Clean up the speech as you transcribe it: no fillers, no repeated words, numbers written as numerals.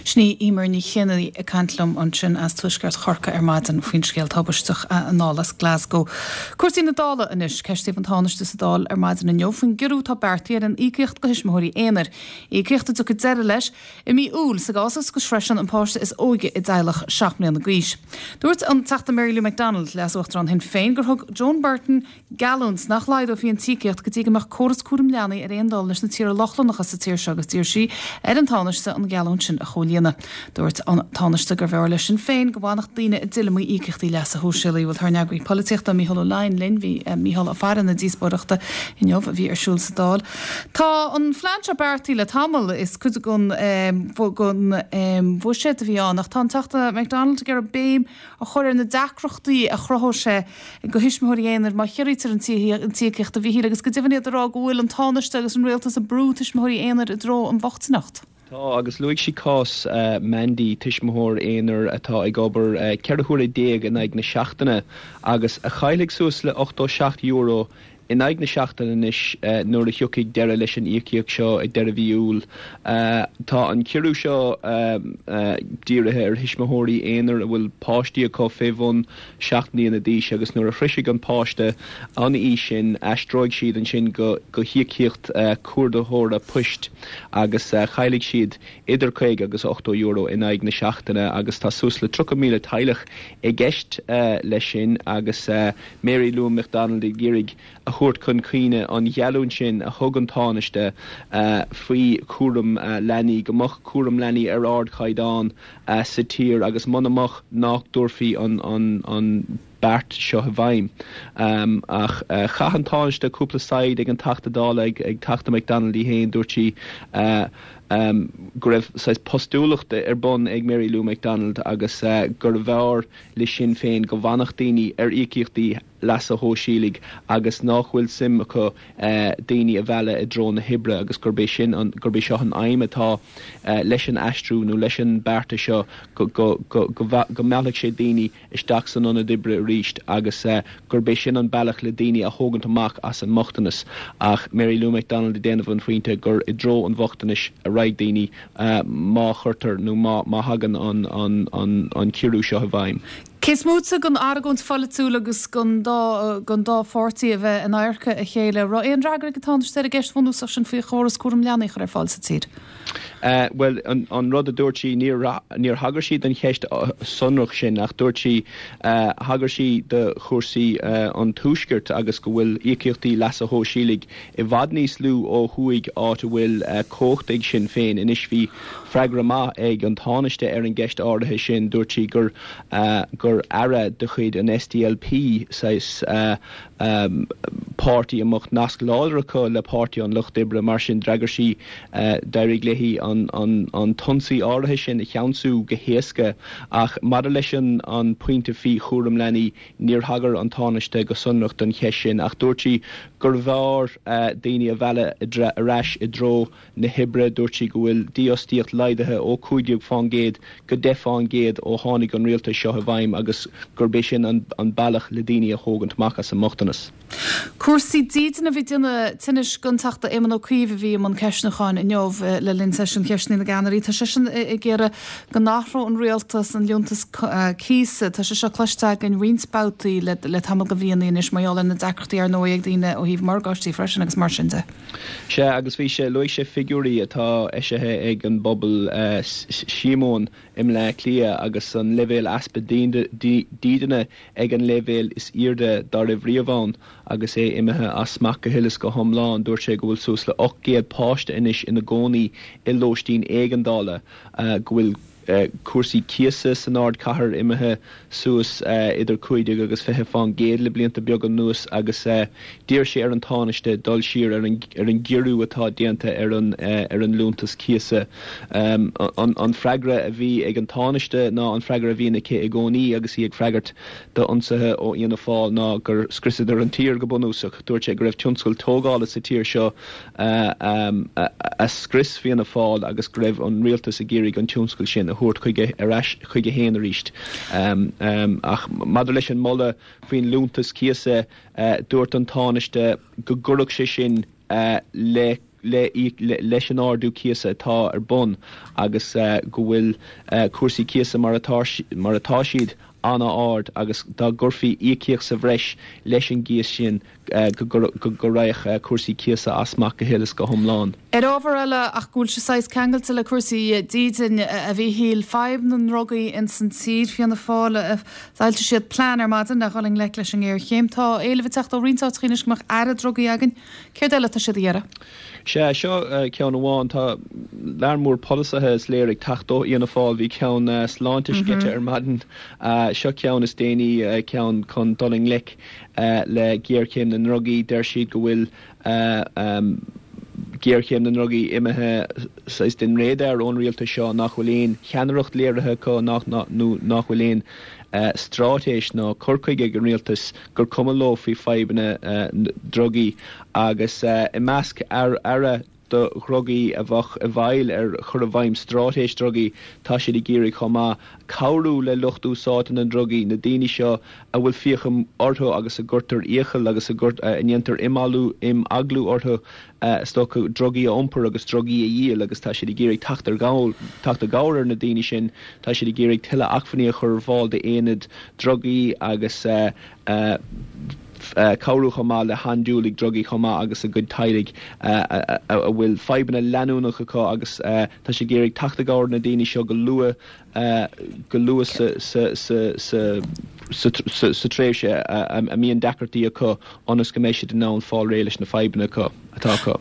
Sin í Emer Ní Chionnaith ag caint liom ansin as tuaisceart Chorcaí ar maidin faoin scéal tubaisteach anall as Glasgow. Cúrsaí na Dála anois. Ceistíodh an Tánaiste sa Dáil ar maidin inniu faoin gciorrú atá beartaithe ar an íocaíocht do thuismitheoirí aonair. Íocaíocht a dtiocfaidh deireadh leis i mí Iúil sa gcás is go sroiseann an páiste is óige i dteaghlach 7 mbliana d'aois. Dúirt an Teachta Mary Lou McDonald, Leas-Uachtarán Shinn Féin, gur thug Joan Burton geallúint nach laghdófaí an tíocaíocht go dtí go mbeadh córas cúram leanaí ar aon dul leis na tíortha Lochlannacha sa tír seo agus d'iarr sí ar an Tánaiste an gheallúint sin a chomhlíonadh. Dúirt an Tánaiste gurbh fhearr le Sinn Féin go bhfanfadh daoine i dtuilleamaí íocaíochtaí leasa shóisialaigh. Bhuel tá ár n-eagraí polaitíochta, Mícheál Ó Laighin linn. Bhí Mícheál ag faire na díospóireachta inniu a bhí ar siúl sa Dáil. Tá an phlean seo beartaithe le tamall. Is cuid den bhuiséad a bhí ann ach tá an Teachta McDonald ag iarraidh béim a chur ar na deacrachtaí a chruthódh sé do thuismitheoirí aonair má chiorraítear an tíocaíocht, a Mhíchíl, agus go deimhin iad ag rá go bhfuil an Tánaiste agus an Rialtas ag brú tuismitheoirí aonair i dtreo an bhochtaineacht. Tá, agus luaigh sí cás Mandy, tuismitheoir aonair atá ag obair 14 huaire in aghaidh na seachtaine agus a chaillfidh suas le €87 in aghaidh na seachtaine anois nuair a thiocfaidh deireadh leis an íocaíocht seo ag deireadh mhí Iúil. Tá an ciorrú seo dírithe ar thuismitheoirí aonair a bhfuil páistí acu fé bhun 7 mbliana d'aois agus nuair a shroisfidh an páiste an aois sin aistreoidh siad ansin go híocaíocht cuardaitheora poist agus caillfidh siad idir €50 agus €80 in aghaidh na seachtaine agus tá suas le 30,000 teaghlach i gceist leis sin agus Mary Lou McDonald ag iarraidh a thabhairt chun cuimhne an gheallúint sin a thug an Tánaiste faoi chúram leanaí, go mbeadh cúram leanaí ar ardchaighdeán sa tír agus muna mbeadh nach dtabharfaí an beart seo i bhfeidhm. Ach chaith an Tánaiste cúpla saighead ag an Teachta Dála, ag Teachta McDonald í féin, dúirt sí go raibh saghas postúlacht ar bun ag Mary Lou McDonald agus gurbh fhearr le Sinn Féin go bhfanfadh daoine ar íocaíochtaí leasa shóisialaigh agus nách bhfuil suim acu daoine a mhealladh i dtreo na hoibre agus gurb é sin an, gurb é seo an aidhm atá leis an aistriú nó leis an beartas seo go, go, go, go meallfaidh sé daoine isteach san ionad oibre arís agus gurb é sin an bealach le daoine a thógaint amach as an mbochtanas. Ach Mary Lou McDonald ag déanamh an phointe gur i dtreo an bhochtanais a raghaidh daoine má chuirtear nó má thagann an ciorrú seo i bhfeidhm. Cé is móite den argóint pholaitiúil agus den dá pháirtí a bheith in adharca a chéile, raibh aon fhreagra ag an Tánaiste ar an gceist bhunúsach sin faoi chóras cúram leanaí a chur ar fáil sa tír? Bhuel, an rud a dúirt sí, níor níor thagair sí don cheist sonrach sin ach dúirt sí, thagair sí do chúrsaí an Tuaiscirt agus go bhfuil íocaíochtaí leasa shóisialaigh i bhfad níos lú ó thuaidh áit a bhfuil cumhacht ag Sinn Féin. Anois bhí freagra maith ag an Tánaiste ar an gceist áirithe sin, dúirt sí gur gur aire de chuid an SDLP, saghas páirtí a mbeadh nasc láidir acu le Páirtí an Lucht Oibre, mar sin d'fhreagair sí, d'éirigh léi an an t-ionsaí áirithe sin a cheansú go héasca. Ach maidir leis an an pointe faoi chúram leanaí, Níor thagair an Tánaiste go sonrach don cheist sin ach dúirt sí gurbh fhearr daoine a mhealladh ar ais i dtreo na hoibre. Dúirt sí go bhfuil dífhostaíocht laghdaithe ó 15 fán gcéad go 10 fán gcéad ó tháinig an rialtas seo i bhfeidhm agus gurb é sin an bealach le daoine a thógaint amach as an mbochtanas. Cúrsaí dídine a bhí ag déanamh tinnis don Teachta Éamon Ó Cuív a bhí i mbun ceistniúcháin inniu le linn seisiún cheisteanna na gceannairí. Tá seisean ag iarraidh go n-athródh an rialtas an liúntas cíosa. Tá sé seo cloiste againn roinnt babhtaí le tamall de mhíonna anois mar gheall ar na deacrachtaí ar ndóigh ag daoine ó thaobh morgáistí freisin agus mar sin de. Sea, agus bhí sé, luaigh sé figiúirí atá eisithe ag an bpobal Síomóin i mBleá Cliath agus an leibhéal easpa dídine ag an leibhéal is airde dá raibh riamh ann agus é imithe as smacht go huile is go hiomlán. Dúirt sé go bhfuil suas le 800 páiste anois ina gcónaí i lóistín éigeandála, go bhfuil cúrsaí cíosa san ardchathair imithe suas idir 15 agus 20 fán gcéad le blianta beaga anuas agus d'iarr sé ar an Tánaiste dul siar ar an gciorrú atá déanta ar an ar an liúntas cíosa. An freagra a bhí ag an Tánaiste ná an freagra a bhíonn aici i gcónaí agus í ag freagairt d'ionsaithe ó Fhianna Fáil ná gur scriosadar an tír go bunúsach. Dúirt sé go raibh tionscal tógála sa tír seo a scrios Fianna Fáil agus go raibh an rialtas ag iarraidh an tionscal sin a thabhairt chuige ar ais chuige féin arís. Ach maidir leis an moladh faoin liúntas cíosa, dúirt an Tánaiste go gcuirfeadh sé sin le. le leis an ardú cíosa atá ar bun agus go bhfuil cúrsaí cíosa mar atá mar atá siad an-ard agus dá gcuirfí íocaíocht sa bhreis leis an gcíos sin go raghadh cúrsaí cíosa as smacht go huile is go hiomlán. Ar ábhar eile, ach go bhfuil sé saghas ceangailte le cúrsaí dídine, a Mhíchíl, fadhb na ndrugaí ins an tír, Fianna Fáil, d'fhoilsigh siad plean ar maidin le dhul i ngleic leis an ngéarchéim. Tá éileamh ag teacht ó roinnt áiteacha anois go mbeadh aire drugaí againn. Céard eile atá siad a iarraidh? Sea, seo ceann amháin. Tá lear mór polasaithe, is léir, ag teacht ó Fhianna Fáil. Bhí ceann sláinte sceite ar maidin. Seo ceann is déanaí, ceann chun dul i ngleic le géarchéim na ndrugaí. Deir siad go bhfuil géarchéim na ndrugaí imithe saghas den radar ón rialtas seo, nach bhfuil aon cheannaireacht léirithe acu, nach nó nach bhfuil aon straitéis ná cur chuige ag an rialtas, gur cuma leo faoi fadhbanna drugaí agus i measc aire do dhrugaí a bheadh i bhfeighil ar chur i bhfeidhm straitéis drugaí, tá siad ag iarraidh chomh maith cabhrú le lucht úsáidte na ndrugaí, na daoine seo a bhfuil fiacha orthu agus a gcuirtear iachall agus a ndéantar imeaglú orthu is dócha, drugaí a iompar agus drugaí a dhíol agus tá siad ag iarraidh teacht ar teacht i gcabhair ar na daoine sin. Tá siad ag iarraidh tuilleadh acmhainní a chur ar fáil d'aonaid drugaí agus cabhrú chomh maith le handúiligh drugaí chomh maith agus a gcuid teaghlaigh a bhfuil fadhbanna leanúnach acu agus tá siad ag iarraidh teacht i gcabhair ar na daoine seo go luath go luath sa tréimhse a mbíonn deacrachtaí acu ionas go mbeidh siad in ann fáil réidh leis na fadhbanna atá acu.